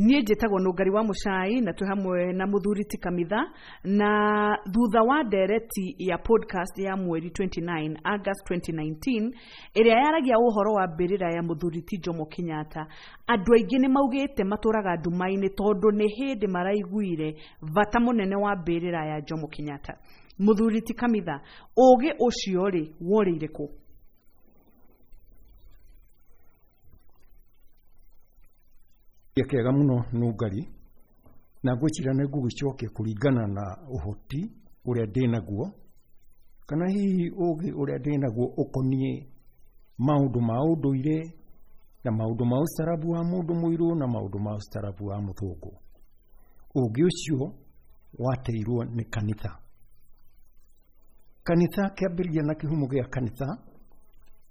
Niĩ njĩtagwo Nũngari wa Mũcai na twĩ hamwe na mũthuri ti Kamitha, na thutha wa ndereti ya podcast ya mweri 29 August 2019 ĩrĩa yaragia ũhoro wa mbĩrĩra ya mũthuri ti Jomo Kenyatta, andũ aingĩ nĩ maugĩte matũraga nduma-inĩ tondũ nĩ hĩndĩ maraiguire bata mũnene wa mbĩrĩra ya Jomo Kenyatta. Mũthuri ti Kamitha, ũgĩ ũcio rĩ worĩire kũ? Kĩega mũno Nũngari, na ngwĩciria nĩ ngũgĩcokia kũringana na ũhoti ũrĩa ndĩnaguo, kana hihi ũgĩ ũrĩa ndĩnaguo ũkoniĩ maũndũ ma ũndũire na maũndũ ma ũcarabu wa mũndũ mũirũ na maũndũ ma ũcarabu wa mũthũngũ. Ũgĩ ũcio wateirwo nĩ kanitha. Kanitha kĩambĩrĩria na kĩhumo gĩa kanitha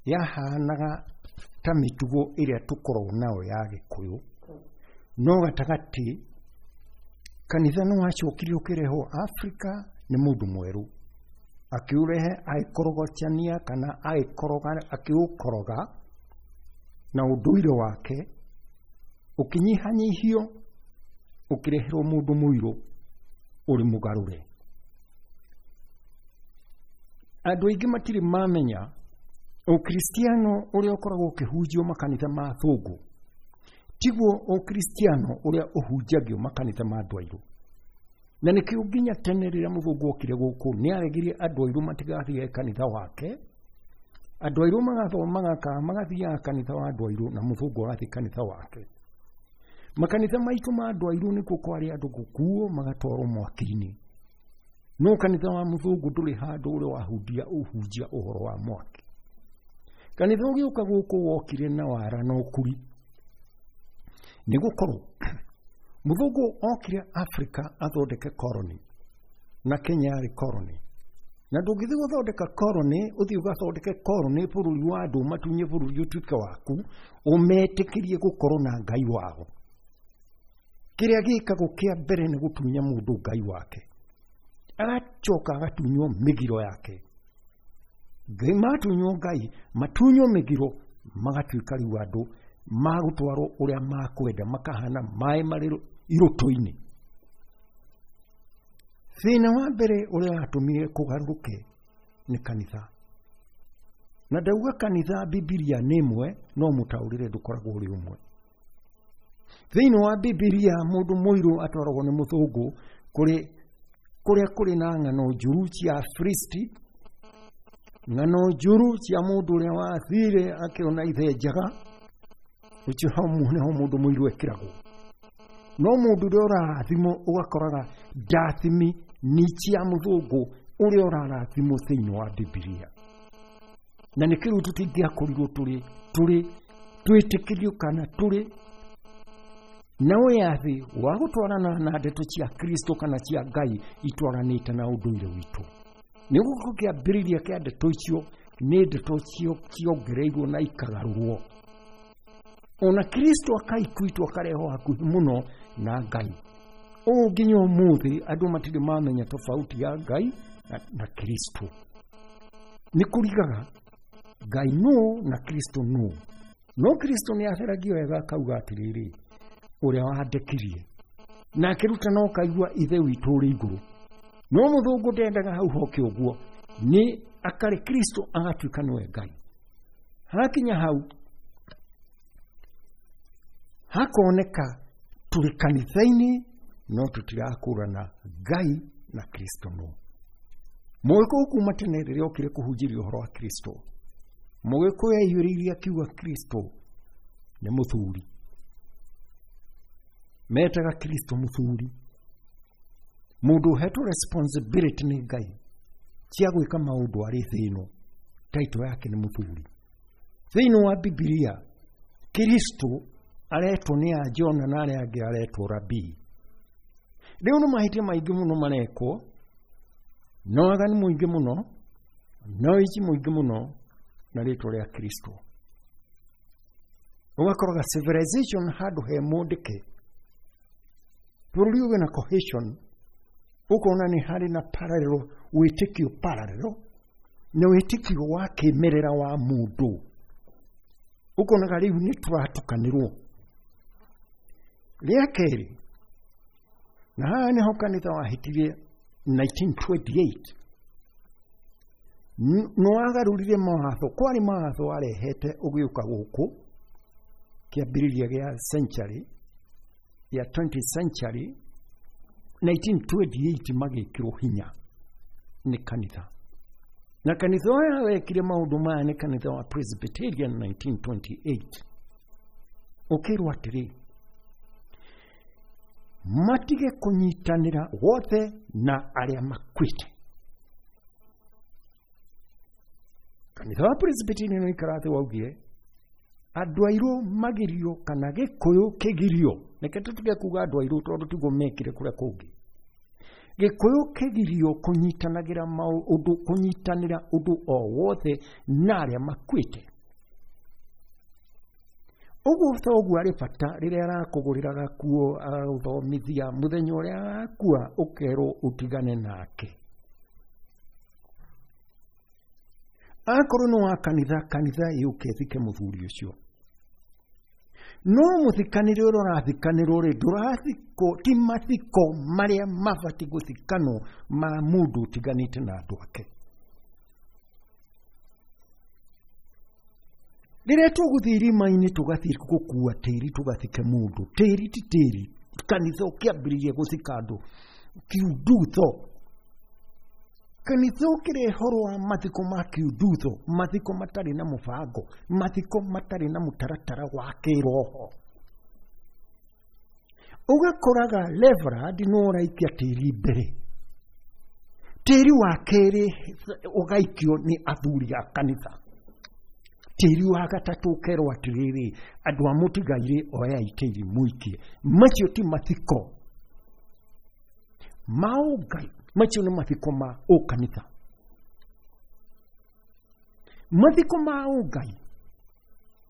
yahanaga ta mĩtugo ĩrĩa tũkoragwo nayo ya Gĩkũyũ, no gatagatĩ kanitha nĩ wacokire ũkĩrehwo Afrika nĩ mũndũ mwerũ, akĩũrehe agĩkorogocania kana agĩkoroga, akĩũkoroga na ũndũire wake ũkĩnyihanyihio, ũkĩreherwo mũndũ mũirũ ũrĩ mũgarũre. Andũ aingĩ matirĩ mamenya ũkristiano ũrĩa ũkoragwo ũkĩhunjio makanitha ma thũngũ tiguo ũkristiano ũrĩa ũhunjagio makanitha ma andũ airũ. Na nĩkĩo nginya tene rĩrĩa mũthũngũ okire gũkũ nĩ aregirie andũ airũ matigathiage kanitha wake, andũ airũ magathomaga kana magathiaga kanitha wa andũ airũ na mũthũngũ agathiĩ kanitha wake. Makanitha maitũ ma andũ airũ nĩkuo kwarĩ andũ gũkuo magatwarwo mwaki-inĩ, no kanitha wa mũthũngũ ndũrĩ handũ ũrĩa wahunjia ũhunjia ũhoro wa mwaki. Kanitha ũgĩũka gũkũ wokire na wara na ũkuri, nĩ gũkorwo mũthũngũ okire Afrika athondeke colony, na Kenya yarĩ colony, na ndũngĩthiĩ gũthondeka colony ũthiĩ ũgathondeke colony bũrũri wa andũ matunye bũrũri ũtuĩke waku, ũmetĩkĩrie gũkorwo na Ngai wao. Kĩrĩa gĩkagwo kĩa mbere nĩ gũtunya mũndũ Ngai wake, agacoka agatunywo mĩgiro yake. Ngai matunywo Ngai, matunywo mĩgiro, magatuĩka rĩu andũ magũtwarwo ũrĩa makwenda, makahana maĩ marĩ irũtũ-inĩ. Thĩna wa mbere ũrĩa watũmire kũgarũrũke nĩ kanitha. Na ndauga kanitha Bibilia nĩ ĩmwe, no mũtaũrĩre ndũkoragwo ũrĩ ũmwe. Thĩinĩ wa Bibilia mũndũ mũirũ atwaragwo nĩ mũthũngũ kũrĩ kũrĩa kũrĩ na ng'ano njũru cia Afilisti, ng'ano njũru cia mũndũ ũrĩa wathire akĩona ithe njaga, ũcio hau nĩho mũndũ mũirũ ekĩragwo. No mũndũ ũrĩa ũrarathimwo ũgakoraga ndathimi ni cia mũthũngũ ũrĩa ũrarathimwo thĩinĩ wa Bibilia. Na nĩkĩo rĩu tũtingĩakorirwo tũrĩ twĩtĩkĩrio kana tũrĩ na wĩyathi wa gũtwarana na ndeto cia Kristo kana cia Ngai itwaranĩte na ũndũire witũ. Nĩ gũkorwo kĩambĩrĩria kĩa ndeto icio nĩ ndeto ciongereirwo na ikagarũrwo. Ona Kristo akaikuitwo akarehwo hakuhĩ mũno na Ngai. Ũũ nginya ũmũthĩ andũ matirĩ mamenya tofauti ya Ngai na Kristo. Nĩ kũrigaga Ngai nũ na Kristo nũ. No Kristo nĩ atheragio wega akauga atĩrĩrĩ, ũrĩa wandekirie na akĩrutana ũkaigua ithe witũ ũrĩ igũrũ. No mũthũngũ ndendaga hau hoke ũguo, nĩ akarĩ Kristo agatuĩka nĩwe Ngai. Hakinya hau hakoneka tũrĩ kanitha-inĩ no tũtirakũrana Ngai na Kristo no. Mũgĩkũyũ kuma tene rĩrĩa okire kũhunjĩria ũhoro wa Kristo, mũgĩkũyũ aiyũrĩirie akiuga Kristo nĩ mũthuri. Metaga Kristo mũthuri, mũndũ ũhetwo responsibility nĩ Ngai cia gwĩka maũndũ arĩ thĩ ĩno, taito yake nĩ mũthuri. Thĩinĩ wa Bibilia Kristo aretwo nĩ a Jona na arĩa angĩ aretwo rabii. Rĩu nĩ mahĩtia maingĩ mũno marekwo, na waganu mũingĩ mũno, na ũici mũingĩ mũno na rĩtwa rĩa Kristo. Ũgakoraga civilization handũ he mũndĩke, bũrũri ũgĩ na cohesion, ũkona nĩ harĩ na parallel, wĩtĩkio parallel na wĩtĩkio wa kĩmerera wa mũndũ. Ũkonaga rĩu nĩ tũratukanĩrwo. Rĩa kerĩ, na haha nĩho kanitha wahĩtirie 1928, nĩwagarũrire mawatho. Kwarĩ mawatho warehete ũgĩũka gũkũ kĩambĩrĩria gĩa century ya 20th century, 1928 magĩkĩrwo hinya nĩ kanitha. Na kanitha ũrĩa wekire maũndũ maya nĩ kanitha wa Presbyterian 1928. Ũkĩrwo atĩrĩ, matige kũnyitanĩra wothe na arĩa makuĩte. Kanitha wa Presbyterian ũikara thĩ waugire andũ airũ magirio kana gĩkũyũ kĩgirio. Reke tũtige kuga andũ airũ tondũ tiguo mekire kũrĩa kũngĩ. Gĩkũyũ kĩgirio kũnyitanagĩra maũndũ, kũnyitanĩra ũndũ o wothe na arĩa makuĩte. Ũguo thoguo arĩ bata rĩrĩa arakũgũrĩra gakuo agagũthomithia, mũthenya ũrĩa agakua ũkerwo ũtigane nake. Akorwo nĩ wa kanitha, kanitha yũke ĩthike mũthuri ũcio. No mũthikanĩre ũrĩa ũrathikanĩrwo rĩ, ndũrathikwo, ti mathiko marĩa mabatiĩ gũthikanwo ma mũndũ ũtiganĩte na andũ ake. Rĩrĩa tũgũthiĩ irima-inĩ tũgathiĩ gũkua tĩri tũgathike mũndũ, tĩri ti tĩri. Kanitha ũkĩambĩrĩria gũthika andũ kiundutho. Kanitha ũkĩrehe ũhoro wa mathiko ma kiundutho, mathiko matarĩ na mũbango, mathiko matarĩ na mũtaratara wa kĩroho. Ũgakoraga reverend no ũraikia tĩri mbere, tĩri wa kerĩ ũgaikio nĩ athuri a kanitha, tĩri wa gatatũ ũkerwo atĩrĩrĩ, andũ a mũtigairĩ oyai tĩri mũikie. Macio ti mathiko ma ũngai, macio nĩ mathiko ma ũkanitha. Mathiko ma ũngai,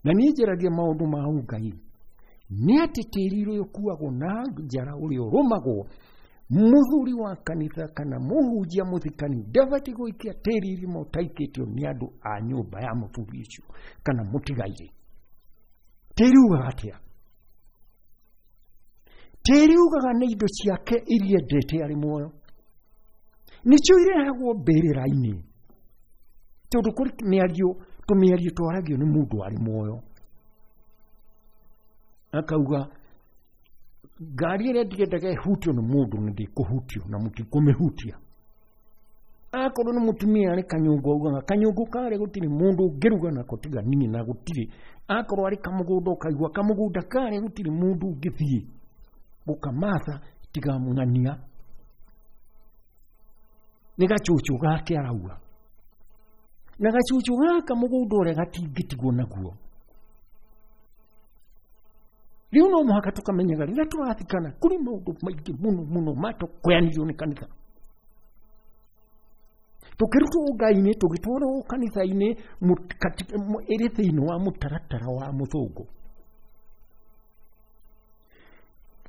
na niĩ njaragia maũndũ ma ũngai, nĩ atĩ tĩri ũrĩa ũkuagwo na njara ũrĩa ũrũmagwo, mũthuri wa kanitha kana mũhunjia mũthikani ndabatiĩ gũikia tĩri irima ũtaikĩtio nĩ andũ a nyũmba ya mũthuri ũcio kana mũtigairĩ. Tĩri ugaga atĩa? Tĩri ugaga nĩ indo ciake iria endete arĩ muoyo, nĩcio irehagwo mbĩrĩra-inĩ, tondũ kũrĩ mĩario, tũmĩario twaragio nĩ mũndũ arĩ muoyo. Akauga ngari ĩrĩa ndiendaga ĩhutio nĩ mũndũ nĩ ndĩkũhutio na mũtikũmĩhutia. Akorwo nĩ mũtumia arĩ kanyũngũ, augaga kanyũngũ karĩa gũtirĩ mũndũ ũngĩruga nako tiga niĩ, na gũtirĩ. Akorwo arĩ kamũgũnda, ũkaigua kamũgũnda karĩa gũtirĩ mũndũ ũngĩthiĩ gũkamatha tiga mũng'ania, nĩ gacucu gake arauga. Na gacucu gaka mũgũnda ũrĩa gatingĩtigwo naguo. Rĩu no mũhaka tũkamenyaga rĩrĩa tũrathikana kũrĩ maũndũ maingĩ mũno mũno matũkoyanirio nĩ kanitha. Tũkĩrutwo ũngai-inĩ, tũgĩtwarwo kanitha-inĩ ĩrĩ thĩinĩ wa mũtaratara wa mũthũngũ.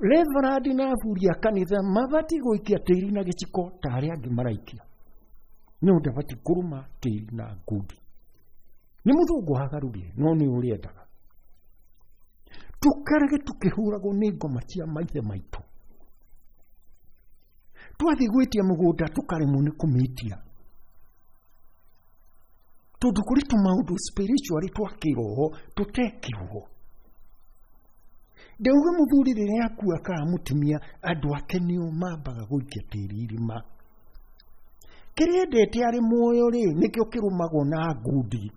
Reverend na athuri a kanitha mabatiĩ gũikia tĩri na gĩciko ta arĩa angĩ maraikia, no ndabatiĩ kũrũma tĩri na ngundi. Nĩ mũthũngũ wagarũrire, no nĩ ũrĩa endaga. Tũkarage tũkĩhũragwo nĩ ngoma cia maithe maitũ. Twathiĩ gwĩtia mũgũnda tũkaremwo nĩ kũmĩtia, tondũ kũrĩ tũmaũndũ spiritually twa kĩroho tũtekirwo. Ndauga mũthuri rĩrĩa akua kana mũtumia, andũ ake nĩo mambaga gũikia tĩri irima. Kĩrĩa endete arĩ muoyo rĩ, nĩkĩo kĩrũmagwo na ngundi.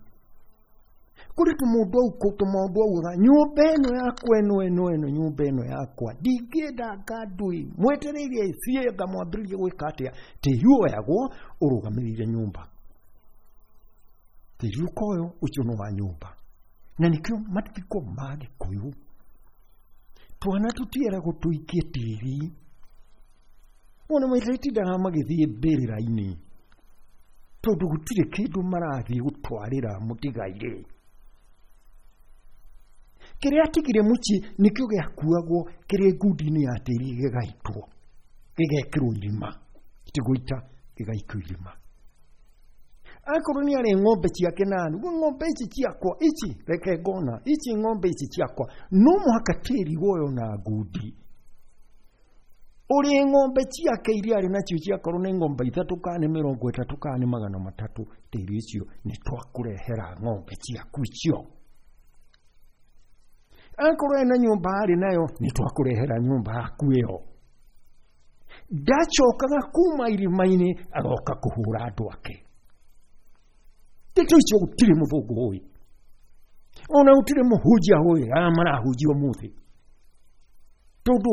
Kũrĩ tũmũndũ tũmaũndũ augaga nyũmba ĩno yakwa ĩno ĩno ĩno nyũmba ĩno yakwa ndingĩenda ngandui, mwetereire ĩciĩ ngamwambĩrĩria gwĩka atĩa. Tĩri woyagwo ũrũgamĩrĩire nyũmba, tĩri ũkoywo ũcio nĩ wa nyũmba. Na nĩkĩo mathiko ma Gĩkũyũ twana tũtieragwo tũikie tĩri. Ona matindaga magĩthiĩ mbĩrĩra-inĩ tondũ gũtirĩ kĩndũ marathiĩ gũtwarĩra mũtigairĩ. Kĩrĩa atigire mũciĩ nĩkĩo gĩakuagwo kĩrĩ ngundi-inĩ ya tĩri, gĩgaitwo, gĩgekĩrwo irima, ti gũita, gĩgaikio irima. Akorwo nĩ arĩ ng'ombe ciake nani, ng'ombe ici ciakwa ici reke ngona, ici ng'ombe ici ciakwa, no mũhaka tĩri woyo na ngundi. Ũrĩ ng'ombe ciake iria arĩ nacio ciakorwo nĩ ng'ombe 3 kana 30 kana 300, tĩri ũcio nĩ twakũrehera ng'ombe ciaku icio. Akorwo ena nyũmba arĩ nayo, nĩ twakũrehera nyũmba yaku ĩyo. Ndacokaga kuma irima-inĩ agoka kũhũra andũ ake. Ndeto icio gũtirĩ mũthũngũ ũĩ, ona gũtirĩ mũhunjia ũĩ aya marahunjia ũmũthĩ, tondũ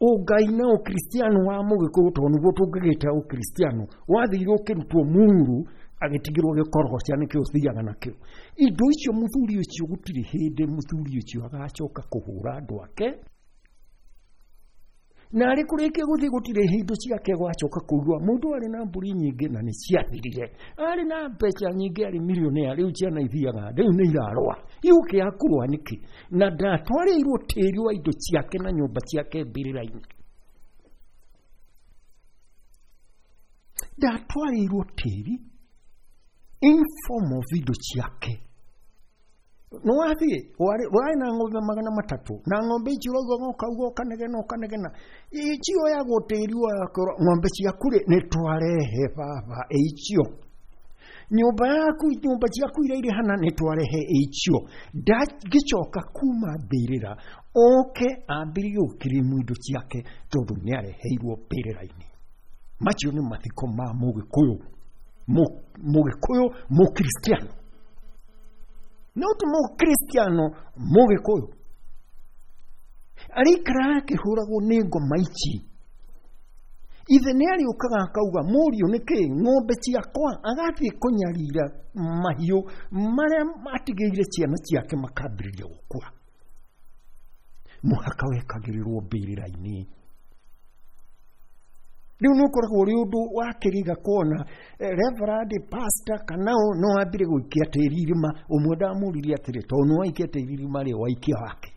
ũngai na ũkristiano wa mũgĩkũyũ, tondũ nĩguo tũngĩgĩta ũkristiano, wathire ũkĩrutwo muru agĩtigĩrwo gĩkorogoca nĩkĩo ũthiaga nakĩo. Indo icio mũthuri ũcio gũtirĩ hĩndĩ mũthuri ũcio agacoka kũhũra andũ ake, na arĩ kũrĩkia gũthiĩ gũtirĩ indo ciake gwacoka kũigua. Mũndũ arĩ na mbũri nyingĩ na nĩ ciathirire, arĩ na mbeca nyingĩ, arĩ milionea, rĩu ciana ithiaga, rĩu nĩ irarũa, igũkĩaga kũrũa nĩkĩ? Na ndatwarĩirwo tĩri wa indo ciake na nyũmba ciake mbĩrĩra-inĩ. Ndatwarĩirwo tĩri in form of indo ciake. No wathiĩ warĩ na ng'ombe 300, na ng'ombe icio ũrauga ũkauga ũkanegena ũkanegena, icioyagwo tĩri wakorwo ng'ombe ciaku rĩ nĩ twarehe baba icio, nyũmba yaku, nyũmba ciaku iria irĩ hana nĩ twarehe icio. Ndangĩcoka kuma mbĩrĩra oke ambĩrĩrie gũkirimu indo ciake, tondũ nĩ areheirwo mbĩrĩra-inĩ. Macio nĩ mathiko ma mũgĩkũyũ, mũgĩkũyũ mũkristiano, no ti mũkristiano mũgĩkũyũ arĩikara akĩhũragwo nĩ ngoma ici. Ithe nĩ arĩũkaga akauga, mũriũ nĩkĩ ng'ombe ciakwa, agathiĩ kũnyarira mahiũ marĩa atigĩire ciana ciake makambĩrĩria gũkua. Mũhaka wekagĩrĩrwo mbĩrĩra-inĩ. Rĩu nĩ ũkoragwo ũrĩ ũndũ wa kĩriga kuona reverend, pastor kana no ambire gũikia tĩri irima. Ũmwe ndamũririe atĩrĩ, tondũ nĩ waikia tĩri irima rĩ, waikia wake?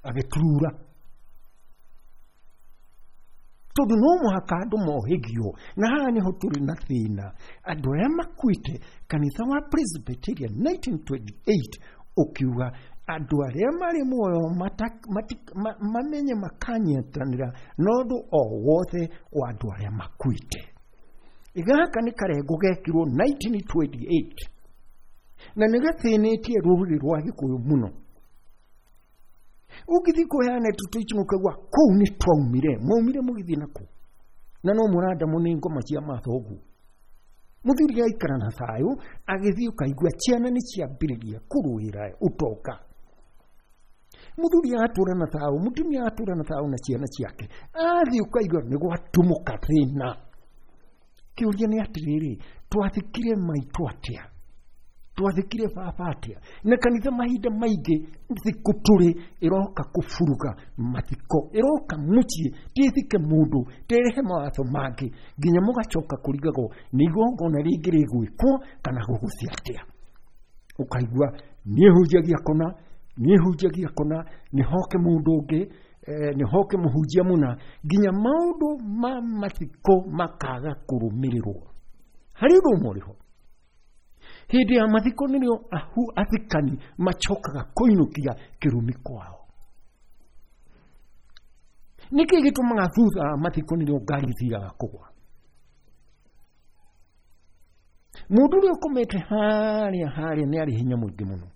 Agĩturura. Tondũ no mũhaka andũ mohĩgio, na haha nĩho tũrĩ na thĩna. Andũ arĩa makuĩte, kanitha wa Presbyterian 1928 ũkiuga andũ arĩa marĩ muoyo mamenye makanyitanĩra na ũndũ o wothe wa andũ arĩa makuĩte. Gaka nĩ karengo gekirwo 1928 na nĩ gathĩnĩtie rũrĩrĩ rwa Gĩkũyũ mũno. Ũngĩthiĩ kũheana tũtũ ici ũkaigua kũu nĩ twaumire, mwaumire mũgĩthiĩ nakũ, na no mũrandamwo nĩ ngoma cia mathoguo. Mũthuri aikara na thayũ, agĩthiĩ ũkaigua ciana nĩ ciambĩrĩria kũrũĩra ũtonga. Mũthuri atũra na thayũ, mũtumia atũra na thayũ na ciana ciake, athiĩ ũkaigua nĩ gwatumũka thĩna. Kĩũria nĩ atĩrĩrĩ, twathikire maitũ atĩa? Twathikire baba atĩa? Na kanitha mahinda maingĩ thikũ tũrĩ ĩroka kũburuga mathiko, ĩroka mũciĩ tĩthike mũndũ, tĩrehe mawatho mangĩ, nginya mũgacoka kũrigagwo nĩ igongona rĩngĩ rĩgwĩkwo kana gũgũthiĩ atĩa. Ũkaigua niĩ hunjagia kũna, niĩ hunjagia kũna, nĩ hoke mũndũ ũngĩ, nĩ hoke mũhunjia mũna, nginya maũndũ ma mathiko makaga kũrũmĩrĩrwo. Harĩ ũndũ ũmwe ũrĩ ho, hĩndĩ ya mathiko nĩrĩo athikani macokaga kũinũkia kĩrumi kwao. Nĩkĩ gĩtũmaga thutha wa mathiko nĩrĩo ngari ithiaga kũgwa? Mũndũ ũrĩa ũkomete harĩa harĩa nĩ arĩ hinya mũingĩ mũno,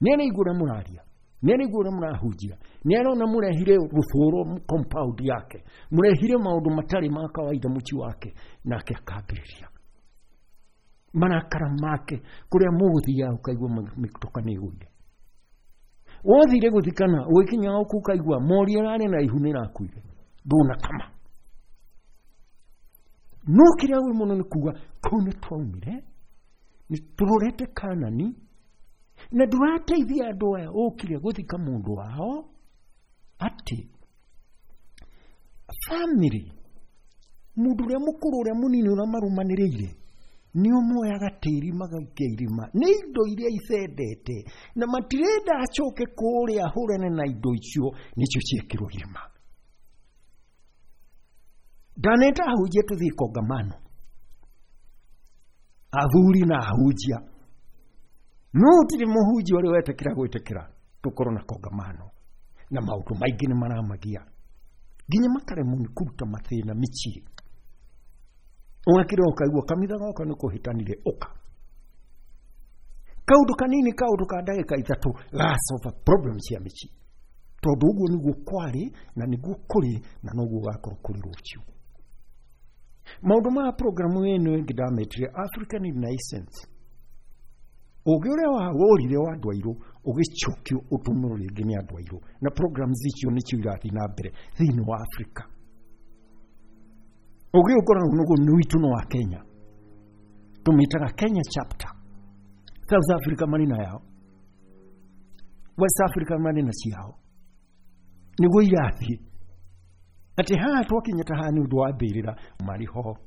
nĩ araigua ũrĩa mũraria, nĩ araigua ũrĩa mũrahunjia, nĩ arona mũrehire rũthũro compound yake, mũrehire maũndũ matarĩ ma kawaida mũciĩ wake, nake akambĩrĩria marakara make kũrĩa mũgũthiaga ũkaigua mĩtoka nĩ ĩgũire. Wothire gũthikana ũgĩkinya gũkũ ũkaigua mori ĩrarĩ na ihu nĩ ĩrakuire, ndũnakama. No kĩrĩa ũĩ mũno nĩ kuga kũu nĩ twaumire, nĩ tũrorete Kanani, na ndũrateithia andũ aya ũkire gũthika mũndũ wao atĩ family, mũndũ ũrĩa mũkũrũ ũrĩa mũnini ũrĩa marũmanĩrĩire, nĩ ũmoyaga tĩri magaikia irima nĩ indo iria icendete, na matirenda acoke kũrĩa ahũrane na indo icio, nĩcio ciekĩrwo irima. Ndaneta ahunjia tũthiĩ kongamano, Athuri na ahunjia. No gũtirĩ mũhunjia ũrĩa wetĩkĩra gwĩtĩkĩra tũkorwo na kongamano. Na maũndũ maingĩ nĩ maramagia. Nginya makaremwo nĩ kũruta mathĩna mĩciĩ. Ũgakĩra ũkaigua kamitha goka nĩ kũhĩtanire ũka. Kaũndũ kanini kaũndũ ka ndagĩka ithatũ gasolve problem cia mĩciĩ. Tondũ ũguo nĩguo kwarĩ na nĩguo kũrĩ na noguo gakorwo kũrĩ rũciũ. Maũndũ ma programu ĩno ĩngĩ ndametire African Renaissance. Ũgĩ ũrĩa wagũrire wa andũ airũ ũgĩcokio ũtũmĩrwo rĩngĩ nĩ andũ airũ, na programs icio nĩcio irathiĩ na mbere thĩinĩ wa Afrika. Ũgĩ ũkoragwo nĩguo nĩ witũ nĩ wa Kenya, tũmĩtaga Kenya chapter. South Africa marĩ na yao, West Africa marĩ na ciao, nĩguo irathiĩ. Atĩ haha twakinya ta haha nĩ ũndũ wa mbĩrĩra marĩ ho.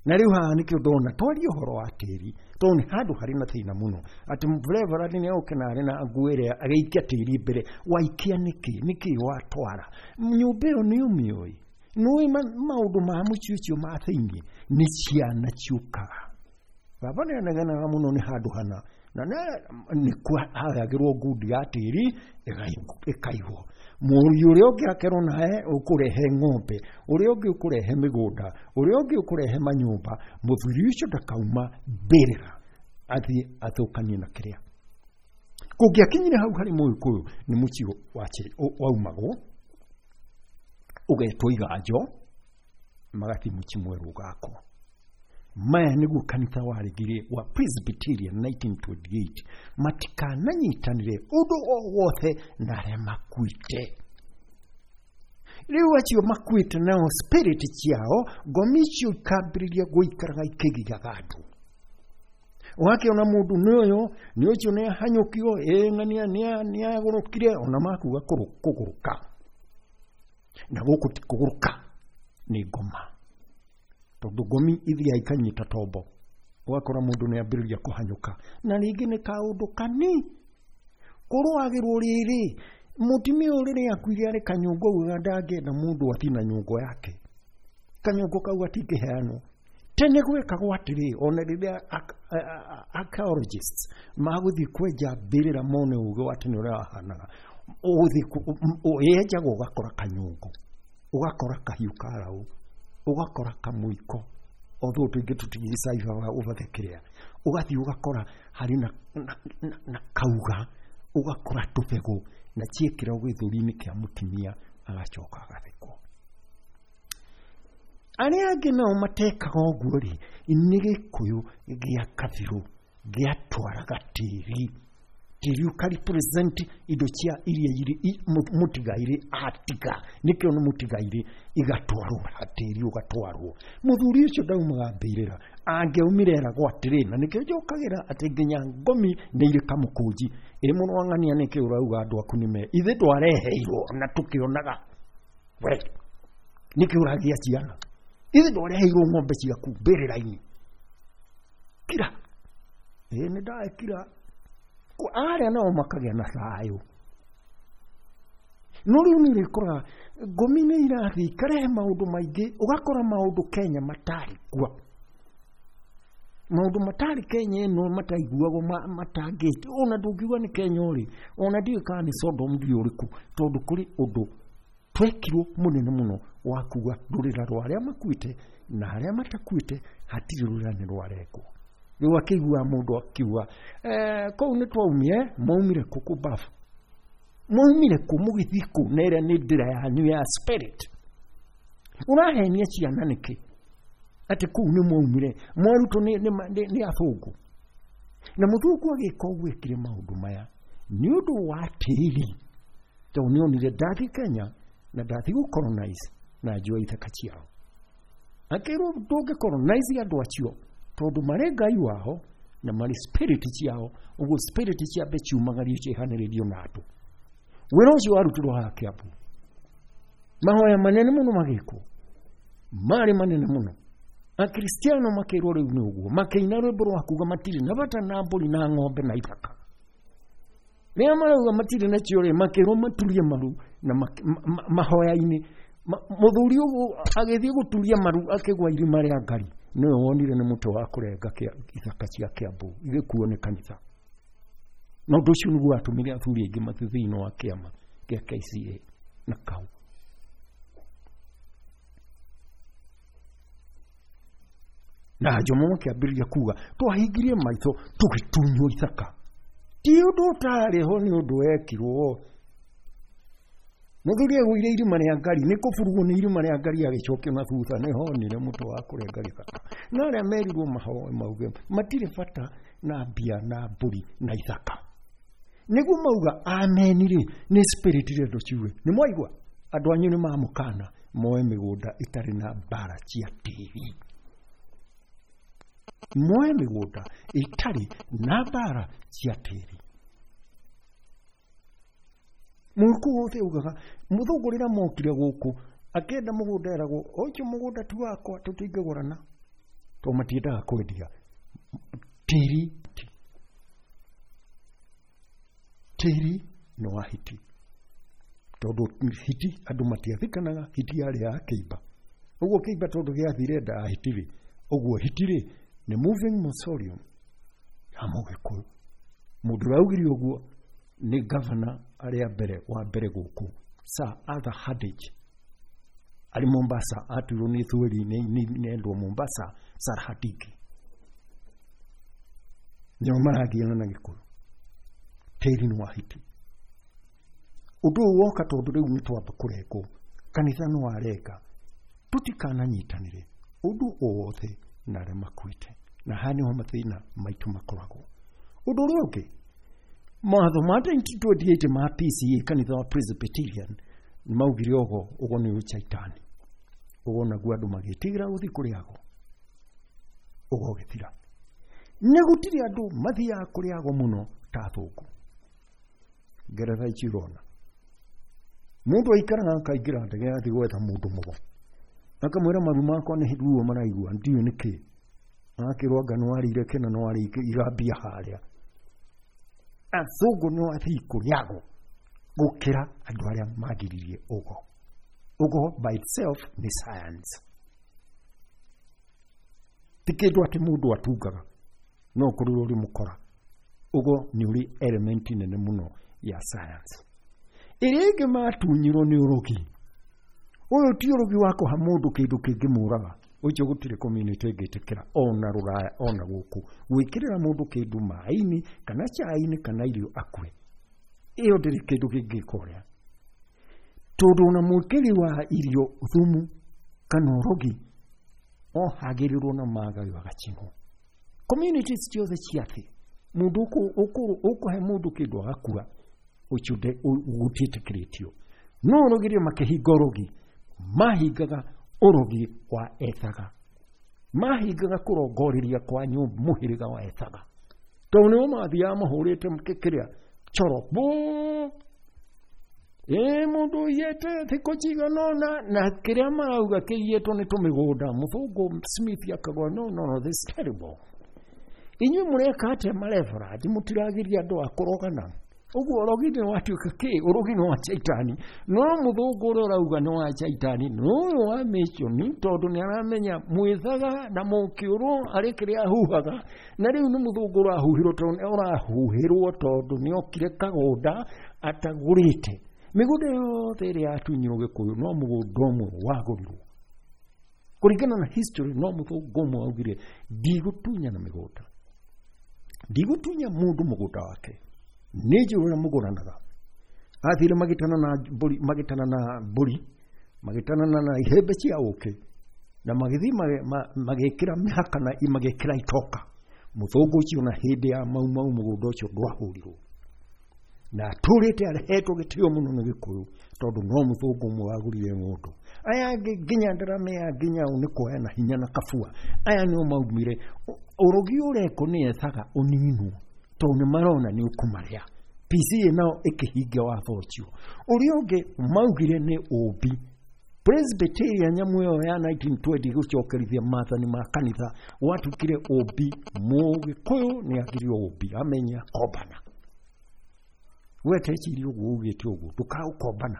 Na rĩu haha nĩkĩo ndona twarie ũhoro wa tĩri, tondũ nĩ handũ harĩ na thĩna mũno. Atĩ Reverend nĩ oke na arĩ na nguo ĩrĩa agĩikia tĩri mbere, waikia nĩkĩ? Nĩkĩ watwara? Nyũmba ĩyo nĩ ũmĩũĩ? Nĩũĩ maũndũ ma mũciĩ ũcio ma thĩinĩ? Nĩ ciana ciũkaga. Baba nĩ anegenaga mũno nĩ handũ hana, na nĩ kwahayagĩrwo ngundi ya tĩri ĩkaigwo. Mũriũ ũrĩa ũngĩ akerwo nawe ũkũrehe ng'ombe, ũrĩa ũngĩ ũkũrehe mĩgũnda, ũrĩa ũngĩ ũkũrehe manyũmba. Mũthuri ũcio ndakauma mbĩrĩra athiĩ athũkanie na kĩrĩa. Kũngĩakinyire hau harĩ Mũgĩkũyũ nĩ mũciĩ waumagwo ũgetwo iganjo, magathiĩ mũciĩ mwerũ ũgakwo. Maya nĩguo kanitha waregire wa Presbyterian 1928, matikananyitanĩre ũndũ o wothe na arĩa makuĩte. Rĩu acio makuĩte nao spirit ciao ngomi icio ikambĩrĩria gũikaraga ikĩgiaga andũ. Ũgakĩona mũndũ nĩ ũyũ, nĩ ũcio nĩ ahanyũkio, ng'ania nĩ agũrũkire, ona makuga kũgũrũka. Na gũkũ ti kũgũrũka, nĩ ngoma. Tondũ ngomi ithiaga ikanyita tombo. Ũgakora mũndũ nĩ ambĩrĩria kũhanyũka. Na rĩngĩ nĩ kaũndũ kani. Kũrũagĩrwo rĩrĩ, mũtumia ũyũ rĩrĩa akuire arĩ kanyũngũ augaga ndangĩenda mũndũ athiĩ na nyũngũ yake. Kanyũngũ kau gatingĩheanwo. Tene gwekagwo atĩrĩ, ona rĩrĩa archaeologists magũthiĩ kwenja mbĩrĩra mone ũgĩ wa tene ũrĩa wahanaga, ũgũthiĩ yenjagwo ũgakora kanyũngũ, ũgakora kahiũ ka raũ, ũgakora kamũiko, although tũingĩ tũtigĩcaibaga ũbathe kĩrĩa, ũgathiĩ ũgakora harĩ na kauga, ũgakora tũbegũ, na ciĩkĩragwo gĩthũri-inĩ kĩa mũtumia agacoka agathikwo. Arĩa angĩ nao matekaga ũguo rĩ, nĩ Gĩkũyũ gĩa kabirũ gĩatwaraga tĩri. Tĩri ũkarepresent indo cia iria irĩ mũtigairĩ atiga, nĩkĩo nĩ mũtigairĩ, igatwarwo tĩri ũgatwarwo. Mũthuri ũcio ndaumaga mbĩrĩra, angĩaumire eragwo atĩrĩ, na nĩkĩo njokagĩra atĩ nginya ngomi nĩ irĩ kamũkũnji. Ĩ mũno wang'ania nĩkĩo ũrauga andũ aku nĩ me, ithuĩ twareheirwo na tũkĩonaga. We, nĩkĩo ũragĩa ciana? Ithuĩ twareheirwo ng'ombe ciaku mbĩrĩra-inĩ. Kira. Ĩ nĩ ndakira. Arĩa nao makagĩa na thayũ. No rĩu nĩ ũrĩkoraga ngomi nĩ irathiĩ ikarehe maũndũ maingĩ, ũgakora maũndũ Kenya matarĩ kuo. Maũndũ matarĩ Kenya ĩno mataiguagwo matangĩte, ona ndũngiuga nĩ Kenya ũrĩ, ona ndiũĩ kana nĩ Sodom ndiũĩ ũrĩkũ, tondũ kũrĩ ũndũ twekirwo mũnene mũno wa kuga rũrĩra rwa arĩa makuĩte na arĩa matakuĩte hatirĩ rũrĩra nĩ rwarekwo. Rĩu akĩigua mũndũ akiuga, kũu nĩ twaumire, mwaumire kũ kũ bafu? Mwaumire kũ mũgĩthiĩ kũ? Na ĩrĩa nĩ ndĩra yanyu ya spirit. Ũrahenia ciana nĩkĩ? Atĩ kũu nĩ mwaumire, mwarutwo nĩ athũngũ. Na mũthũngũ agĩka ũguo ekire maũndũ maya nĩ ũndũ wa tĩri, tondũ nĩ onire ndathiĩ Kenya na ndathiĩ gũcolonize na njũa ithaka ciao. Akĩrwo ndũngĩcolonize andũ acio tondũ marĩ Ngai wao na marĩ spirit ciao, ũguo spirit ciambe ciumagario ciĩhanĩrĩrio na andũ. Wĩra ũcio warutirwo haha Kĩambu. Mahoya manene mũno magĩkwo, marĩ manene mũno. Akristiano makĩrwo rĩu nĩ ũguo, makĩina rwĩmbo rwa kuga matirĩ na bata na mbũri na ng'ombe na ithaka. Rĩrĩa marauga matirĩ nacio rĩ, makĩrwo maturie maru na mahoya-inĩ. Mũthuri ũguo agĩthiĩ gũturia maru akĩgwa irima rĩa ngari Nĩwe wonire nĩ mũtĩ wa kũrenga ithaka cia Kiambu igĩkuo nĩ kanitha. Na ũndũ ũcio nĩguo watũmire athuri aingĩ mathiĩ thĩinĩ wa kĩama kĩa KCA na kau. Na Jomo makĩambĩrĩria kuga twahingirie maitho tũgĩtunywo ithaka. Ti ũndũ ũtarĩ ho, nĩ ũndũ wekirwo. Mũthuri agũire irima rĩa ngari, nĩ kũburugwo nĩ irima rĩa ngari agĩcokio na thutha, nĩ honire mũtĩ wa kũrenga gĩthaka. Na arĩa merirwo mahoe mauge matirĩ bata na mbia na mbũri na ithaka. Nĩguo mauga ameni rĩ, nĩ spirit rĩndũ ciuge. Nĩ mwaigua andũ anyu nĩ mamũkana moe mĩgũnda ĩtarĩ na mbara cia tĩri. Moe mĩgũnda ĩtarĩ na mbara cia tĩri. Mũgĩkũyũ wothe augaga mũthũngũ rĩrĩa mokire gũkũ akĩenda mũgũnda eragwo ũcio mũgũnda ti wakwa tũtingĩgũrana, tondũ matiendaga kwendia tĩri. Tĩri nĩ wa hiti, tondũ hiti andũ matiathikanaga, hiti yarĩ ya kĩimba. Ũguo kĩimba tondũ gĩathire nda ya hiti rĩ, ũguo hiti rĩ nĩ moving mausoleum ya mũgĩkũyũ. Mũndũ ũrĩa augire ũguo nĩ gavana arĩa mbere wa mbere gũkũ Sir Arthur Hardage arĩ Mombasa, atuirwo nĩ thweri nĩ endwo Mombasa, Sir Hardage. Nĩo maragiana na Gĩkũyũ. Tĩri nĩ wa hiti. Ũndũ ũyũ woka tondũ rĩu nĩ twamba kũrengwo, kanitha nĩ warenga, tũtikananyitanĩre ũndũ o wothe na arĩa makuĩte. Na haha nĩho mathĩna maitũ makoragwo. Ũndũ ũrĩa ũngĩ, mawatho ma 1928 ma PCA, kanitha wa Presbyterian, nĩ maugire ũgo ũgo nĩ ũcaitani. Ũgo naguo andũ magĩtigĩra gũthiĩ kũrĩ ago, ũgo ũgĩthira. Nĩ gũtirĩ andũ mathiaga kũrĩ ago mũno ta athũngũ. Ngeretha ici ũrona mũndũ aikaraga akaingĩra ndege athiĩ gwetha mũndũ mũgo, akamwĩra maru makwa nĩ ruo maraigua ndiũĩ nĩkĩ, agakĩrwo anga nĩwarĩire kĩna nĩwarĩire igambia harĩa. Athũngũ nĩ athiĩ kũrĩ ago gũkĩra andũ arĩa magiririe ũgo. Ũgo by itself nĩ science, ti kĩndũ atĩ mũndũ atungaga no ũkorirwo ũrĩ mũkora. Ũgo nĩ ũrĩ element nene mũno ya science. Ĩrĩa ĩngĩ matunyirwo nĩ ũrogi. Ũyũ ti ũrogi wa kũha mũndũ kĩndũ kĩngĩmũraga, ũcio gũtirĩ community ĩngĩtĩkĩra ona rũraya ona gũkũ gwĩkĩrĩra mũndũ kĩndũ maĩ-inĩ kana cai-inĩ kana irio akue, ĩyo ndĩrĩ kĩndũ kĩngĩka ũrĩa. Tondũ ona mwĩkĩri wa irio thumu kana ũrogi ohagĩrĩrwo na magayo agacinwo. Communities ciothe cia thĩ, mũndũ ũkũhe mũndũ kĩndũ agakua, ũcio gũtiĩtĩkĩrĩtio. No ũrogi rĩ, makĩhinga ũrogi, mahingaga ũrogi wa ethaga, mahingaga kũrongoreria kwa nyũmba mũhĩrĩga wa ethaga, tondũ nĩo mathiaga mahũrĩte kĩrĩa choro bũ ĩ mũndũ ũiyĩte thikũ cigana ũna, na kĩrĩa marauga kĩiyĩtwo nĩ tũmĩgũnda. Mũthũngũ Smith akagwa no no no, this is terrible. Inyuĩ mũreka atĩa mareverandi, mũtiragiria andũ a kũrogana? Ũguo ũrogi nĩ watuĩka kĩ? Ũrogi nĩ wa caitani. No mũthũngũ ũrĩa ũrauga nĩ wa caitani nĩ ũyũ wa mission, tondũ nĩ aramenya mwĩthaga na mũkĩũrwo arĩ kĩrĩa ahuhaga. Na rĩu nĩ mũthũngũ ũrahuhĩrwo, tondũ ũrahuhĩrwo tondũ nĩ okire kagũnda atagũrĩte. Mĩgũnda yothe ĩrĩa yatunyirwo Gĩkũyũ no mũgũnda ũmwe wagũrirwo kũringana na history. No mũthũngũ ũmwe augire ndigũtunyana mĩgũnda, ndigũtunya mũndũ mũgũnda wake, nĩ njũĩ ũrĩa mũgũranaga. Athire magĩtana na mbũri, magĩtana na mbũri, magĩtana na ihembe cia ũkĩ, na magĩthiĩ magĩkĩra mĩhaka na magĩkĩra itoka. Mũthũngũ ũcio na hĩndĩ ya Mau Mau mũgũnda ũcio ndwahũrirwo, na atũrĩte arehetwo gĩtĩo mũno nĩ Gĩkũyũ, tondũ no mũthũngũ ũmwe wagũrire ng'ũndũ. Aya angĩ nginya ndaramea nginya ũ nĩ kuoya na hinya na kabua. Aya nĩo maumire ũrogi ũrekwo nĩ ethaga ũninwo, tondũ nĩ marona nĩ ũkũmarĩa. PCA nao ĩkĩhingia watho ũcio. Ũrĩa ũngĩ maugire nĩ ũmbi. Presbyterian nyamũ ĩyo ya 1920 gũcokerithia maathani ma kanitha gwatuĩkire ũmbi. Mũgĩkũyũ nĩ agirio ũmbi, amenya kombana. We teciria ũguo ugĩte ũguo, ndũkaũkombana,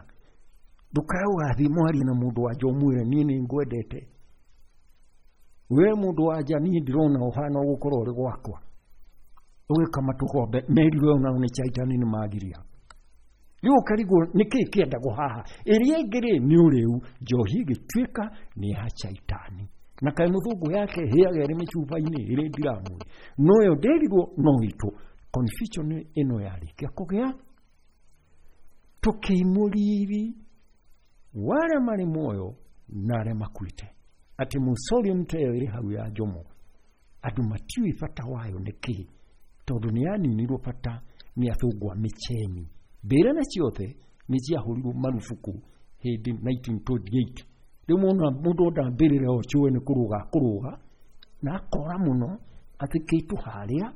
ndũkae ũgathiĩ mwarie na mũndũ wanja ũmwĩre niĩ nĩ ngwendete. We mũndũ wa nja niĩ ndĩrona ũhana ũgũkorwo ũrĩ gwakwa. Ũgĩkama tũgombe merirwe onao nĩ caitani nĩ magiria. Rĩu ũkarigwo nĩkĩĩ kĩendagwo haha. Ĩrĩa ĩngĩ rĩ nĩ ũrĩu, njohi ĩgĩtuĩka nĩ ya caitani. Na kaĩ mũthũngũ yake ĩhĩaga ĩrĩ mĩcuba-inĩ ĩrĩ ndiramu. No yo ndĩrirwo no itũ. Confusion ĩno yarĩkia kũgĩa tũkĩimwo riri wa arĩa marĩ muoyo na arĩa makuĩte. Atĩ mausoleum ta ĩyo ĩrĩ hau ya Jomo, andũ matiũĩ bata wayo nĩ kĩĩ, tondũ nĩ yaninirwo bata nĩ athũngũ a mĩcheni. Mbĩra na ciothe nĩ ciahũrirwo marubuku hĩndĩ 1928. Rĩu mũndũ onda mbĩrĩra o cũe nĩ kũrũga kũrũga na akora mũno athikĩtwo harĩa,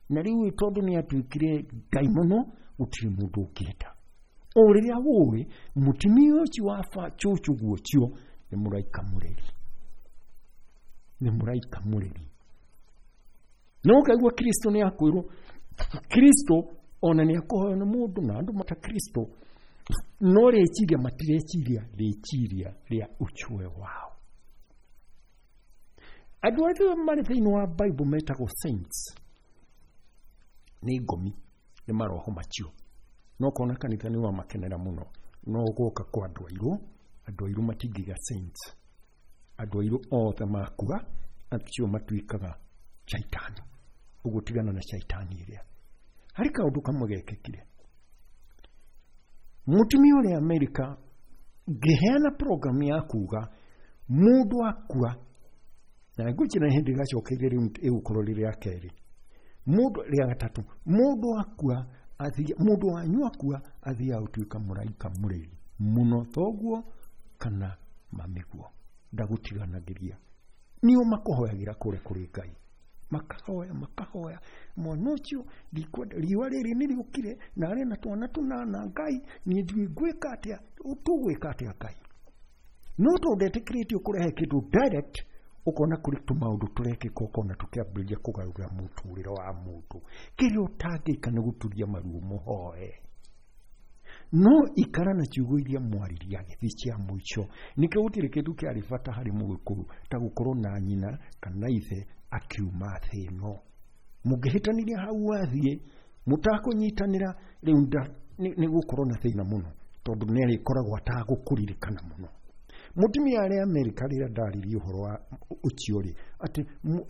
na rĩu tondũ nĩ atuĩkire ngai mũno gũtirĩ mũndũ ũngĩenda. O rĩrĩa wũĩ mũtumia ũcio wa cũcũ guocio nĩ mũraika mũreri. Nĩ mũraika mũreri. No ũkaigua Kristo nĩ akwĩrwo, Kristo ona nĩ akũhoywo nĩ mũndũ na andũ mata Kristo, no rĩciria matireciria rĩciria rĩa ũchwe wao. Andũ arĩa marĩ thĩinĩ wa Bible metagwo saints nĩ ngomi, nĩ maroho macio. No kona kanitha nĩ wamakenera mũno, no gũka kwa andũ airũ, andũ airũ matingĩiga saints. Andũ airũ othe makua acio matuĩkaga caitani. Ũguo tigana na caitani ĩrĩa. Harĩ kaũndũ kamwe gekĩkire. Mũtumia ũrĩa Amerika ngĩheana program ya kuga mũndũ akua, na ngwĩciria nĩ hĩndĩ ĩgacokeire rĩu ĩgũkorwo rĩ rĩa kerĩ, mũndũ rĩa gatatũ, mũndũ akua mũndũ wanyu akua athiaga gũtuĩka mũraika mũreri mũno thoguo kana mamĩguo, ndagũtiganagĩria. Nĩo makũhoyagĩra kũrĩa kũrĩ Ngai, makahoya makahoya, mwana ũcio ndikwenda, riũa rĩrĩ nĩ rĩũkire na arĩ na twana tũnana, Ngai niĩ ndiũĩ ngwĩka atĩa, tũgwĩka atĩa Ngai. No tondũ ndetĩkĩrĩtio kũrehe kĩndũ direct, ũkona kũrĩ tũmaũndũ tũrekĩka, ũkona tũkĩambĩrĩria kũgarũra mũtũrĩre wa mũndũ. Kĩrĩa ũtangĩka nĩ gũturia maruo mũhoe. No ikara na ciugo iria mwaririe agĩthiĩ cia mũico. Nĩkĩo gũtirĩ kĩndũ kĩarĩ bata harĩ mũgĩkũyũ ta gũkorwo na nyina kana ithe akiuma thĩ ĩno. Mũngĩhĩtanĩria hau athiĩ, mũtakũnyitanĩra rĩu nĩ gũkorwo na thĩna mũno, tondũ nĩ arĩkoragwo atagũkũririkana mũno. Mũtumia arĩa Amerika rĩrĩa ndaririe ũhoro wa ũcio rĩ, atĩ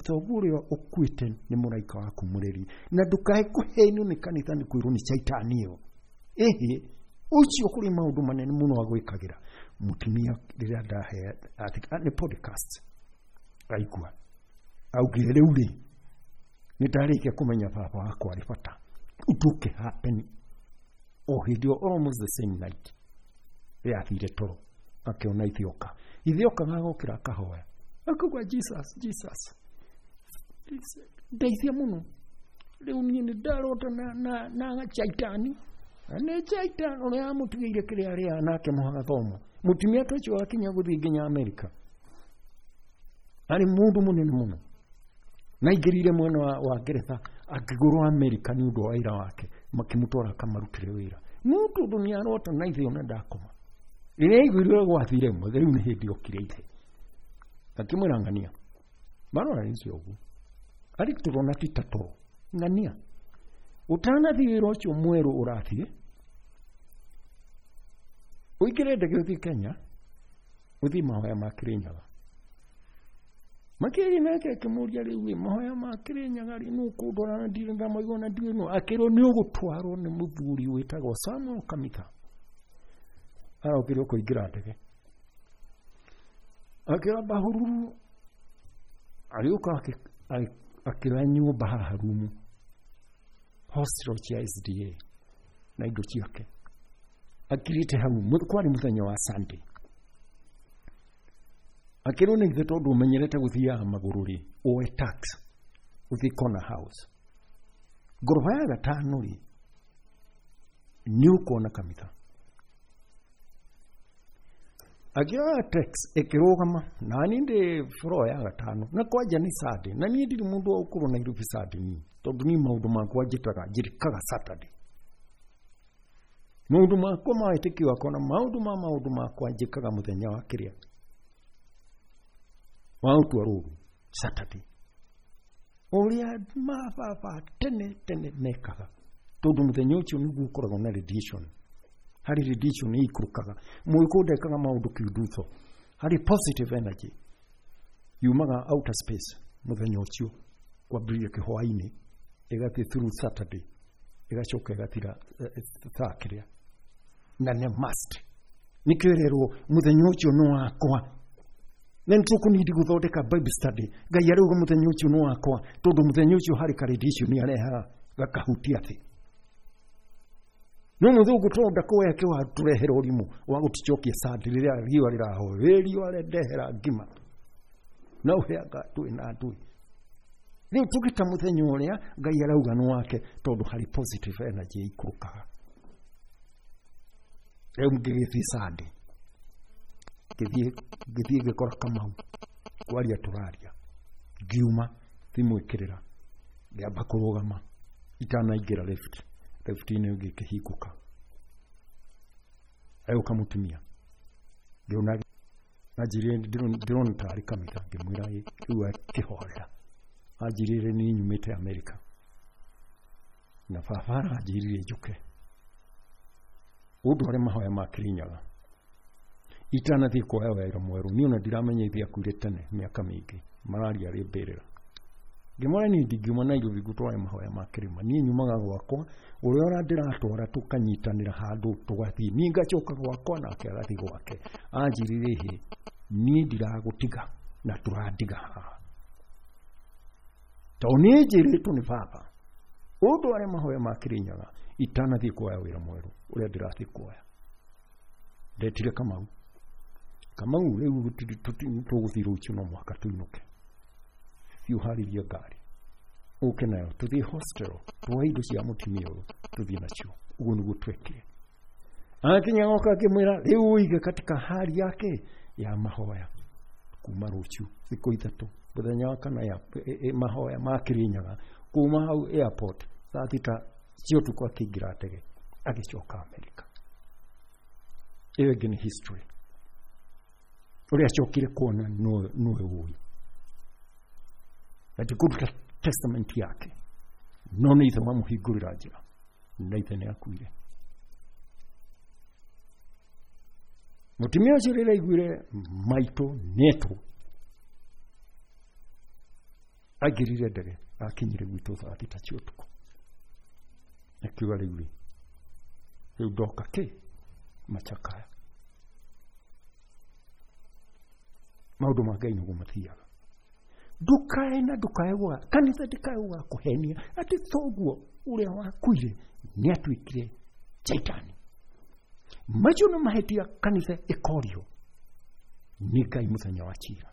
thoguo ũrĩa ũkuĩte nĩ mũraika waku mũreri, na ndũkae kũhenio nĩ kanitha nĩ kwĩrwo nĩ caitani ĩyo. Ĩhĩ, ũcio kũrĩ maũndũ manene mũno agwĩkagĩra. Mũtumia rĩrĩa ndahe nĩ podcast aigua, augire rĩu rĩ, nĩ ndarĩkia kũmenya baba wakwa arĩ bata. Ũndũ ũkĩ happen o hĩndĩ ĩyo, almost the same night, rĩrĩa athire toro akĩona ithioka, ithioka gagokĩra akahoya, akauga Jesus, Jesus, ndeithia mũno, rĩu niĩ nĩ ndarota na caitani, nĩ caitani ũrĩa amũtigĩire kĩrĩa arĩaga nake mũhaga thomo. Mũtumia ta ũcio akinya gũthiĩ nginya Amerika, arĩ mũndũ mũnene mũno, na aingĩrire mwena wa Ngeretha akĩgũrwo Amerika nĩ ũndũ wa wĩra wake, makĩmũtwara akamarutĩre wĩra. No tondũ nĩ arota na ithe ona ndakoma. Rĩrĩa aiguire ũrĩa gwathire, rĩu nĩ hĩndĩ okire ithe akĩmwĩra ng'ania marora nĩcio ũguo arĩ tũrona ti ta toro ng'ania ũtanathiĩ wĩra ũcio mwerũ ũrathiĩ ũingĩre ndege ũthiĩ Kenya ũthiĩ mahoya ma Kĩrĩnyaga. Makĩria nake akĩmũria rĩu ĩ mahoya ma Kĩrĩnyaga rĩ nũ kũndwara na ndirĩ ndamaigua na ndiũĩ nũ, akĩrwo nĩ ũgũtwarwo nĩ mũthuri wĩtagwo Samuel Kamitha. Arokire kũingĩra ndege akĩra bahururu agĩũka akĩoya nyũmba haha rumu hostel cia SDA na indo ciake akirĩte hau, kwarĩ mũthenya wa Sunday. Akĩrwo nĩ ithe tondũ ũmenyerete gũthiaga magũrũ rĩ, oe tax ũthiĩ corner house ngoroba ya gatano rĩ nĩ ũkuona Kamitha. Akĩoya tax ĩkĩrũgama na niĩ ndĩ floor ya gatano na kwanja nĩ Sunday, na niĩ ndirĩ mũndũ wa gũkorwo Nairobi Sunday niĩ, tondũ niĩ maũndũ makwa njĩtaga njĩrĩkaga Saturday. Maũndũ makwa ma wĩtĩkio wakwa na maũndũ ma maũndũ makwa njĩkaga mũthenya wa kĩrĩa wa gũtua rũru. Saturday ũrĩa mababa tene tene mekaga tondũ mũthenya ũcio nĩguo ũkoragwo na radiation harĩ radiation ĩikũrũkaga mũgĩkũyũ ndekaga maũndũ kiundutho harĩ positive energy yumaga outer space mũthenya ũcio kwambĩrĩria kĩhwainĩ ĩgathiĩ through Saturday ĩgacoka ĩgathira thaa kĩrĩa na nĩ must nĩkĩo ĩrerwo mũthenya ũcio nĩ wakwa na nĩ tũkũnindi gũthondeka Bible study Ngai arauga mũthenya ũcio nĩ wakwa tondũ mũthenya ũcio harĩ ka radiation arehaga gakahutia thĩ no mũthũngũ tondũ ndakoya kĩwa tũrehera ũrimũ wa gũtũcokia sandi rĩrĩa riũa rĩrahoe wĩ riũa rendehera ngima na ũheaga ndũĩ na ndũĩ rĩu tũgĩta mũthenya ũrĩa Ngai arauga nĩ wake tondũ harĩ positive energy ĩikũrũkaga rĩu ngĩgĩthiĩ sandi ngĩthiĩ ngĩkora Kamau kwaria tũraria ngiuma thimũ ĩkĩrĩra ngĩamba kũrũgama itanaingĩra lift lift-inĩ ngĩkĩhingũka agĩũka mũtumia ngĩona anjĩrire ndĩrona tarĩ kanitha ngĩmwĩra rĩu akĩhorera anjĩrire niĩ nyumĩte Amerika na baba aranjĩrire njũke ũndware mahoya ma Kĩrĩnyaga itanathiĩ kuoya wĩra mwerũ niĩ ona ndiramenya ithe akuire tene mĩaka mĩingĩ mararia arĩ mbĩrĩra ngĩmwĩra niĩ ndingiuma Nairobi ngũtware mahoya ma kĩrĩma niĩ nyumaga gwakwa ũrĩa ũrĩa ndĩratwara tũkanyitanĩra handũ tũgathiĩ niĩ ngacoka gwakwa nake agathiĩ gwake anjĩrire hĩ niĩ ndiragũtiga na tũrandiga haha tondũ niĩ njĩrĩtwo nĩ baba ũndware mahoya ma Kĩrĩnyaga itanathiĩ kuoya wĩra mwerũ ũrĩa ndĩrathiĩ kuoya ndetire Kamau Kamau rĩu tũgũthiĩ rũciũ no mũhaka tũinũke thiĩ ũharĩrie ngari ũke nayo tũthiĩ hostel tuoe indo cia mũtumia ũyũ tũthiĩ nacio ũguo nĩguo twekire akinya goka akĩmwĩra rĩu ũige katika hali yake ya mahoya kuma rũciũ thikũ ithatũ mũthenya wa kana ya mahoya ma Kĩrĩnyaga kuma hau airport thaa thita cia ũtukũ akĩingĩra ndege agĩcoka Amerika ĩyo ĩngĩ nĩ history ũrĩa acokire kuona nĩwe ũĩ na ndikũruta testament yake no nĩ ithe wamũhingũrĩra njĩra na ithe nĩ akuire mũtumia ũcio rĩrĩa aiguire maitũ nĩetwo aingĩrire ndege akinyire gwitũ thaa thita cia ũtukũ akiuga rĩu rĩ rĩu ndoka kĩ machakaya maũndũ ma Ngai nĩguo mathiaga ndukae na ndukae gwa kanitha ndikae gũgakũhenia atĩ thoguo ũrĩa wakuire nĩ atuĩkire caitani macio nĩ mahĩtia kanitha ĩkorio nĩ Ngai mũthenya wa cira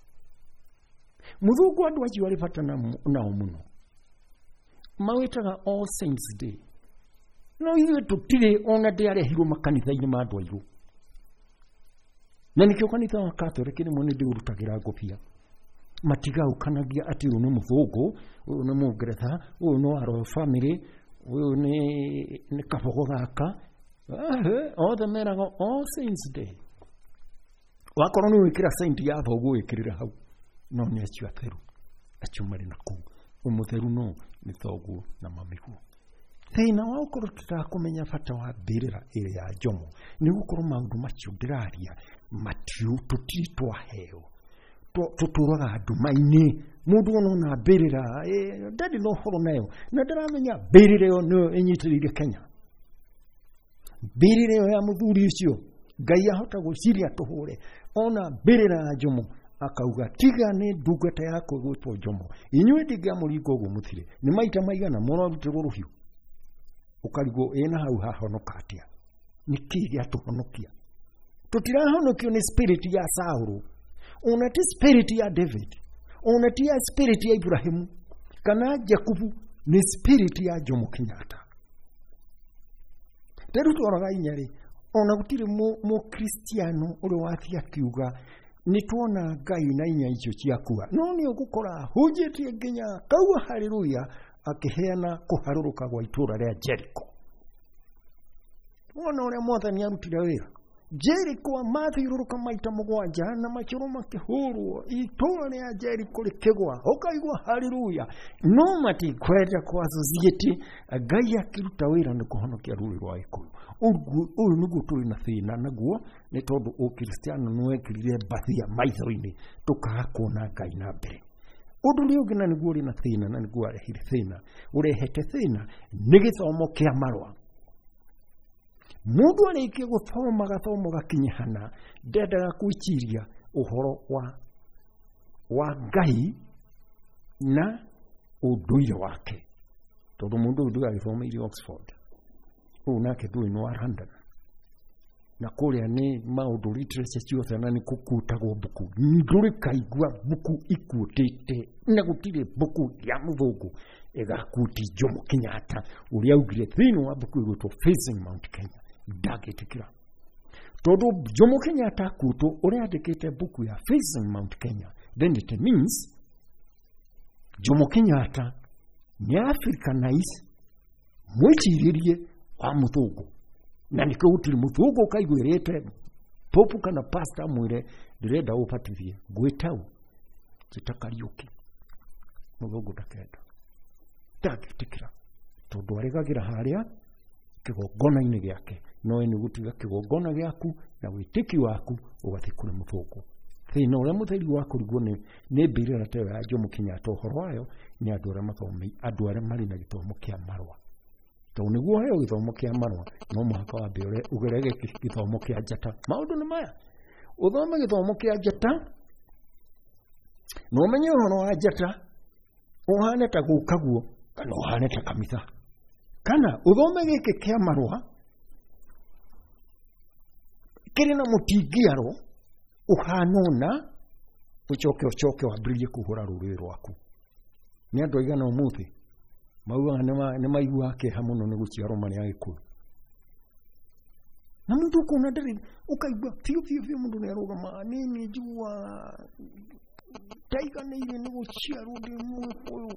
mũthũngũ andũ acio arĩ bata nao mũno mawĩtaga All Saints Day no ithuĩ tũtirĩ ona ndĩarehirwo makanitha-inĩ ma andũ airũ na nĩkĩo kanitha wa Catholic rĩmwe nĩ ndĩũrutagĩra ngũbia matigaũkanagia atĩ ũyũ nĩ mũthũngũ ũyũ nĩ mũngeretha ũyũ nĩ wa royal family ũyũ nĩ kabogo gaka othe meraga All Saints Day wakorwo nĩ wĩkĩra saint ya thoguo wĩkĩrĩra hau no nĩ acio atheru acio marĩ na kũu ũmũtheru no nĩ thoguo na mamiguo thĩna wa gũkorwo tũtakũmenya bata wa mbĩrĩra ĩrĩa ya Jomo nĩ gũkorwo maũndũ macio ndĩraria matiu tũtirĩ twaheo tũtũraga nduma-inĩ mũndũ ona ona mbĩrĩra ndarĩ na ũhoro nayo na ndaramenya mbĩrĩra ĩyo nĩyo ĩnyitĩrĩire Kenya mbĩrĩra ĩyo ya mũthuri ũcio Ngai ahota gwĩciria tũhũre ona mbĩrĩra ya Jomo akauga tiga nĩ ndungata yakwa ĩgwĩtwo Jomo inyuĩ ndingĩamũringa ũguo mũthire nĩ maita maigana mũrarutĩrwo rũhiũ ũkarigwo ĩna hau hahonoka atĩa nĩ kĩĩ gĩatũhonokia tũtirahonokio nĩ spirit ya Saũlũ ona ti spirit ya David ona ti ya spirit ya Ibrahimu kana Jakubu nĩ spirit ya Jomo Kenyatta rĩu twaroga inya rĩ ona gũtirĩ mũkristiano ũrĩa wathiĩ akiuga nĩ tuona Ngai na inya icio ciakua no nĩ ũgũkora hunjĩtie nginya kaua haleluya akĩheana kũharũrũka gwa itũũra rĩa Jericho wona ũrĩa mwathani arutire wĩra Jeriko mathiũrũrũka maita mũgwanja na macũrũ makĩhũrwo, itũũra rĩa Jeriko rĩkĩgwa, ũkaigua haleluya. No matikwenda kũ associate Ngai akĩruta wĩra nĩ kũhonokia rũrĩrĩ rwa Gĩkũyũ. Ũyũ nĩguo tũrĩ na thĩna naguo, nĩ tondũ ũkristiano nĩ wekĩrire mbathia maitho-inĩ tũkaga kuona Ngai na mbere. Ũndũ ũrĩa ũngĩ na nĩguo ũrĩ na thĩna na nĩguo warehire thĩna, ũrehete thĩna nĩ gĩthomo kĩa marũa. Mũndũ arĩkia gũthoma gathomo gakinyihana ndendaga gwĩciria ũhoro wa Ngai na ũndũire wake, tondũ mũndũ ũyũ ndũgagĩthomeire Oxford, ũyũ nake ndũĩ nĩ wa London, na kũrĩa nĩ maũndũ literature ciothe na nĩ kũkuutagwo mbuku, ndũrĩ kaigua mbuku ikuutĩte, na gũtirĩ mbuku ya mũthũngũ ĩgakuti Jomo Kenyatta ũrĩa augire thĩinĩ wa mbuku ĩgwĩtwo Facing Mount Kenya. Ndangĩtĩkĩra, tondũ Jomo Kenyatta akutwo ũrĩa andĩkĩte mbuku ya Facing Mount Kenya, then it means Jomo Kenyatta nĩ Africanize mwĩcirĩrie wa mũthũngũ, na nĩkĩo gũtirĩ mũthũngũ ũkaiguĩrĩte popu kana pastor amwĩre ndĩrenda ũbatithie ngwĩtau njĩta Kariũki. Mũthũngũ ndakenda, ndangĩtĩkĩra, tondũ aregagĩra harĩa kĩgongona-inĩ gĩake, no we nĩ gũtiga kĩgongona gĩaku na wĩtĩki waku ũgathiĩ kũrĩ mũthũngũ. Thĩna ũrĩa mũtheri wa kũrigwo nĩ mbĩrĩra ta ĩyo ya Jomo Kenyatta ũhoro wayo nĩ andũ arĩa mathomeire, andũ arĩa marĩ na gĩthomo kĩa marũa. Tondũ nĩguo ũheo gĩthomo kĩa marũa no mũhaka wambe ũgerere gĩthomo kĩa njata. Maũndũ nĩ maya, ũthome gĩthomo kĩa njata na ũmenye ũhoro wa njata, ũhane ta gũkaguo kana ũhane ta kamitha, kana ũthome gĩkĩ kĩa marũa kĩrĩ na mũtingiaro ũhana ũna, ũcoke ũcoke wambĩrĩrie kũhũra rũrĩrĩ rwaku. Nĩ andũ aigana ũmũthĩ maugaga nĩ maiguaga kĩeha mũno nĩ gũciarwo marĩ Agĩkũyũ, na mũndũ ũkona ndarĩ, ũkaigua biũ biũ biũ mũndũ nĩ arũgamaga, niĩ nĩ njiguaga ndaiganĩire nĩ gũciarwo ndĩ Mũgĩkũyũ.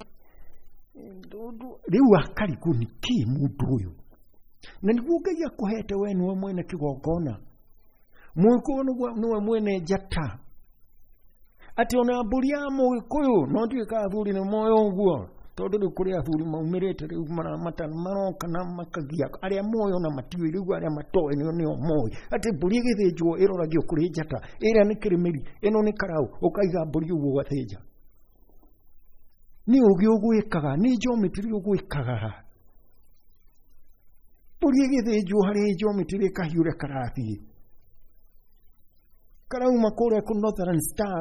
Rĩu akarigwo nĩ kĩ mũndũ ũyũ, na nĩguo Ngai akũhete we nĩwe mwene kĩgongona, Mũgĩkũyũ nĩwe mwene njata, atĩ ona mbũri ya Mũgĩkũyũ no ndiũĩ kana athuri nĩ moĩ ũguo, tondũ rĩu kũrĩ athuri maumĩrĩte rĩu maroka na makagia arĩa moĩ ona matiũĩ, rĩu arĩa matoĩ nĩo nĩo moĩ atĩ mbũri ĩgĩthĩnjwo ĩroragio kũrĩ njata, ĩrĩa nĩ kĩrĩmĩri, ĩno nĩ karaũ, ũkaiga mbũri ũguo ũgathĩnja. Nĩ ũgĩ ũgwĩkaga, nĩ geometry ũgwĩkaga. Mbũri ĩgĩthĩnjwo harĩ geometry ĩkahiũrĩa karathiĩ karauma kũrĩa kũ Northern Star,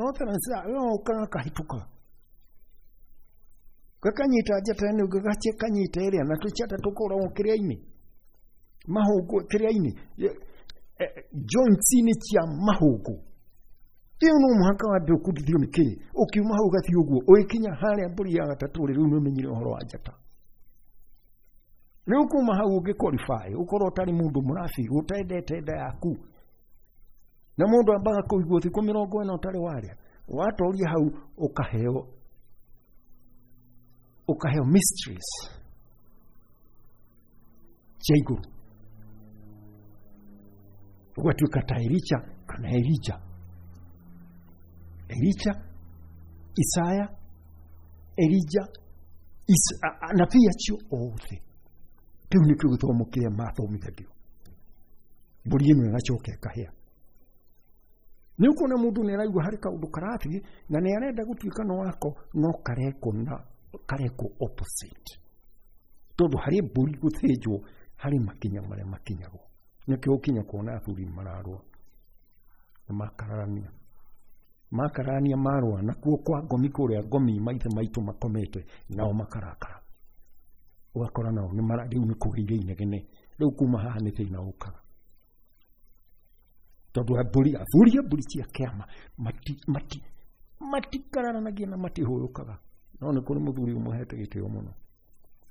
Northern Star gagoka gakahĩtũka gakanyita njata ĩno, gakanyita ĩrĩa, na tũcata tũkoragwo kĩrĩa-inĩ, mahũngũ kĩrĩa-inĩ, joints-inĩ cia mahũngũ. Ĩyo no mũhaka wambe ũkundithio nĩ kĩĩ, ũkiuma hau ũgathiĩ ũguo, ũgĩkinya harĩa mbũri ya gatatũ rĩ, rĩu nĩ ũmenyire ũhoro wa njata. Rĩu kuma hau ũngĩ qualify, ũkorwo ũtarĩ mũndũ mũrabi, ũtendete nda yaku, na mũndũ ambaga kũigua thikũ 40 ũtarĩ warĩa, watoria hau ũkaheo mysteries cia igũrũ, ũgatuĩka ta Elisha kana Elija, Elisha, Isaya, Elija, anabii acio othe. Kĩu nĩkĩo gĩthomo kĩrĩa mathomithagio. Mbũri ĩno ĩgacoka ĩkahĩa. Nĩ ũkuona mũndũ nĩ araigua harĩ kaũndũ karathiĩ na nĩ arenda gũtuĩka no wako, no karekwo na karekwo opposite, tondũ harĩ mbũri gũthĩnjwo harĩ makinya marĩa makinyagwo. Nĩkĩo ũkinya kuona athuri mararũa na makararania, makararania marũa, nakuo kwa ngomi kũrĩa ngomi maithe maitũ makomete nao makarakara, ũgakora nao nĩ rĩu nĩ kũgĩire inegene. Rĩu kuma haha nĩ thĩna ũkaga, tondũ athuri a mbũri cia kĩama matikararanagia na matihũyũkaga. No nĩ kũrĩ mũthuri ũmwe hete gĩtĩo mũno,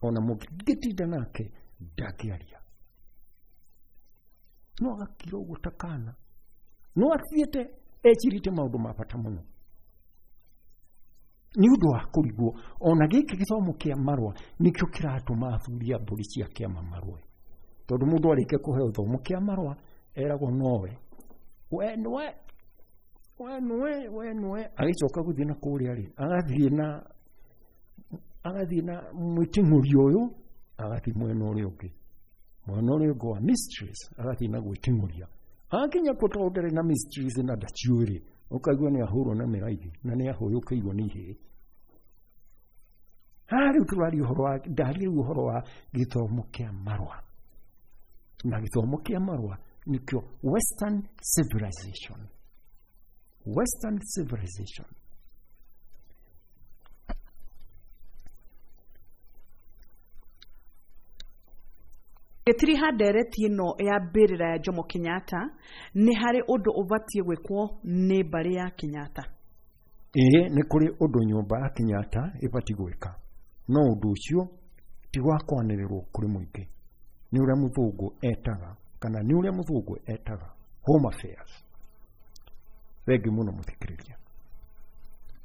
ona mũngĩtinda nake ndangĩaria, no agakira ũguo ta kana, no athiĩte ecirĩte maũndũ ma bata mũno nĩ ũndũ wa kũrigwo. Ona gĩkĩ gĩthomo kĩa marũa nĩkĩo kĩratũma athuri a mbũri cia kĩama marũe, tondũ mũndũ arĩkia kũheo gĩthomo kĩa marũa Eragwo nowe. We nĩwe, we nĩwe, we nĩwe. Agĩcoka gũthiĩ na kũrĩa rĩ, agathiĩ na mwĩting'ũri ũyũ, agathiĩ mwena ũrĩa ũngĩ. Mwena ũrĩa ũngĩ wa mysteries, agathiĩ na gwĩting'ũria. Akinya kũ tondũ ndarĩ na mysteries na ndaciũĩ rĩ, ũkaigua nĩ ahũrwo na mĩraithi na nĩ ahũyũkĩirwo nĩ ihĩĩ. Haha rĩu tũraria ũhoro wa, ndaria rĩu ũhoro wa gĩthomo kĩa marũa. Na gĩthomo kĩa marũa nĩkĩo Western civilization. Western civilization. Gĩtiriha ndereti ĩno ya mbĩrĩra ya Jomo Kenyatta, nĩ harĩ ũndũ ũbatiĩ gwĩkwo nĩ mbarĩ ya Kenyatta? Ĩĩ, nĩ kũrĩ ũndũ nyũmba ya Kenyatta ĩbatiĩ gwĩka. No ũndũ ũcio ti wa kwanĩrĩrwo kũrĩ mũingĩ. Nĩ ũrĩa mũthũngũ etaga, kana nĩ ũrĩa mũthũngũ etaga Home Affairs. Thengiũ mũno mũthikĩrĩria.